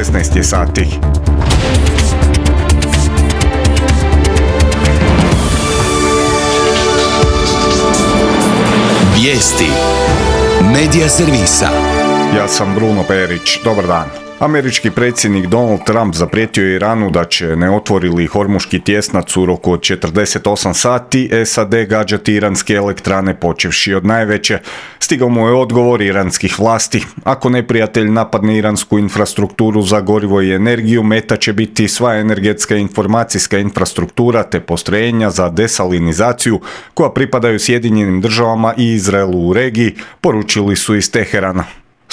16 je sati. Vijesti Medija servisa. Ja sam Bruno Perić. Dobar dan. Američki predsjednik Donald Trump zaprijetio je Iranu da će, ne otvori li Hormuški tjesnac u roku od 48 sati, SAD gađati iranske elektrane počevši od najveće. Stigao mu je odgovor iranskih vlasti. Ako neprijatelj napadne iransku infrastrukturu za gorivo i energiju, meta će biti sva energetska i informacijska infrastruktura te postrojenja za desalinizaciju koja pripadaju Sjedinjenim državama i Izraelu u regiji, poručili su iz Teherana.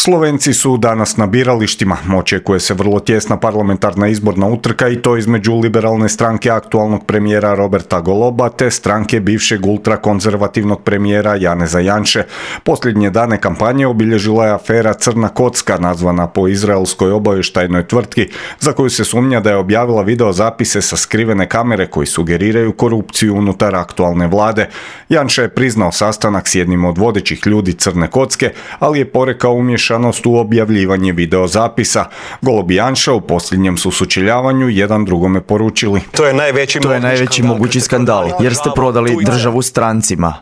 Slovenci su danas na biralištima. Očekuje se vrlo tjesna parlamentarna izborna utrka i to između liberalne stranke aktualnog premijera Roberta Goloba te stranke bivšeg ultrakonzervativnog premijera Janeza Janše. Posljednje dane kampanje obilježila je afera Crna kocka, nazvana po izraelskoj obavještajnoj tvrtki, za koju se sumnja da je objavila videozapise sa skrivene kamere koji sugeriraju korupciju unutar aktualne vlade. Janša je priznao sastanak s jednim od vodećih ljudi Crne kocke, ali je porekao umješanost u objavljivanje videozapisa. Golob i Janša u posljednjem su sučeljavanju jedan drugome poručili: To je najveći mogući skandal, jer ste prodali državu strancima.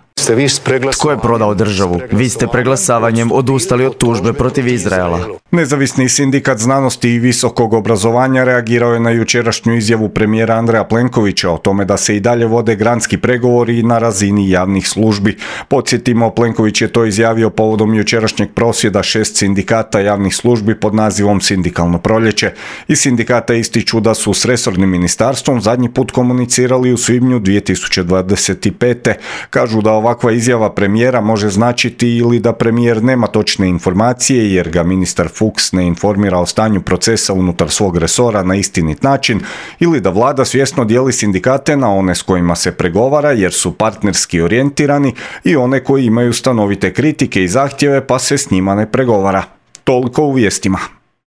Tko je prodao državu? Vi ste preglasavanjem odustali od tužbe protiv Izraela. Nezavisni sindikat znanosti i visokog obrazovanja reagirao je na jučerašnju izjavu premijera Andreja Plenkovića o tome da se i dalje vode granski pregovori na razini javnih službi. Podsjetimo, Plenković je to izjavio povodom jučerašnjeg prosvjeda 6 sindikata javnih službi pod nazivom Sindikalno proljeće. I sindikata ističu da su s resornim ministarstvom zadnji put komunicirali u svibnju 2025. Kažu da ovakva izjava premijera može značiti ili da premijer nema točne informacije jer ga ministar Fuchs ne informira o stanju procesa unutar svog resora na istinit način, ili da vlada svjesno dijeli sindikate na one s kojima se pregovara jer su partnerski orijentirani i one koji imaju stanovite kritike i zahtjeve pa se s njima ne pregovara. Toliko u vijestima.